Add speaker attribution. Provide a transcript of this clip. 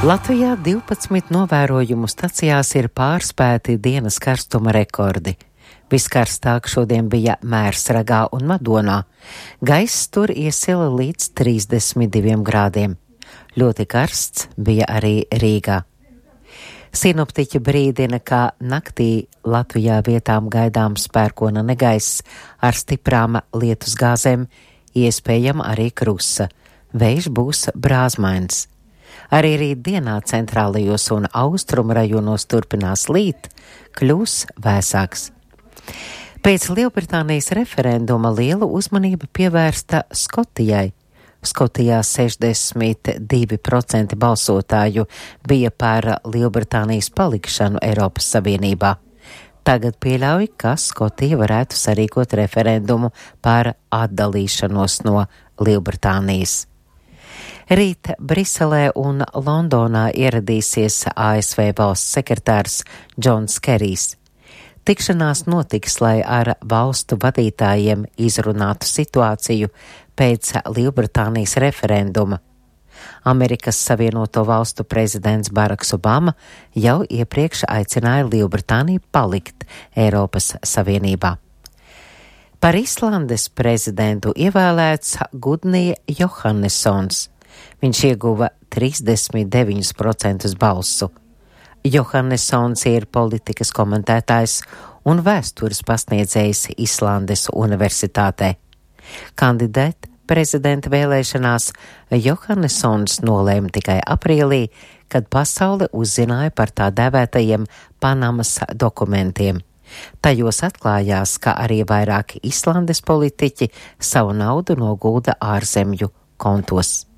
Speaker 1: Latvijā 12 novērojumu stacijās ir pārspēti dienas karstuma rekordi. Viskarstāk šodien bija Mērsragā un Madonā. Gaiss tur iesila līdz 32 grādiem. Ļoti karsts bija arī Rīgā. Sinoptiķi brīdina, ka naktī Latvijā vietām gaidāms pērkona negaiss ar stiprām lietusgāzēm, iespējama arī krusa. Vējš būs brāzmains. Arī rītdienā centrālajos un austrumu rajonos turpinās līt, kļūs vēsāks. Pēc Lielbritānijas referenduma liela uzmanība pievērsta Skotijai. Skotijā 62% balsotāju bija par Lielbritānijas palikšanu Eiropas Savienībā. Tagad pieļauj, ka Skotija varētu sarīkot referendumu par atdalīšanos no Lielbritānijas. Rīt Briselē un Londonā ieradīsies ASV valsts sekretārs Džons Kerijs. Tikšanās notiks, lai ar valstu vadītājiem izrunātu situāciju pēc Lielbritānijas referenduma. Amerikas Savienoto Valstu prezidents Baraks Obama jau iepriekš aicināja Lielbritāniju palikt Eiropas Savienībā. Par Islandes prezidentu ievēlēts Gudni Johannessons. Viņš ieguva 39% balsu. Johannessons ir politikas komentētājs un vēstures pasniedzējs Islandes universitātē. Kandidēt prezidenta vēlēšanās Johannessons nolēma tikai aprīlī, kad pasaule uzzināja par tā dēvētajiem Panamas dokumentiem. Tajos atklājās, ka arī vairāki Islandes politiķi savu naudu nogulda ārzemju kontos.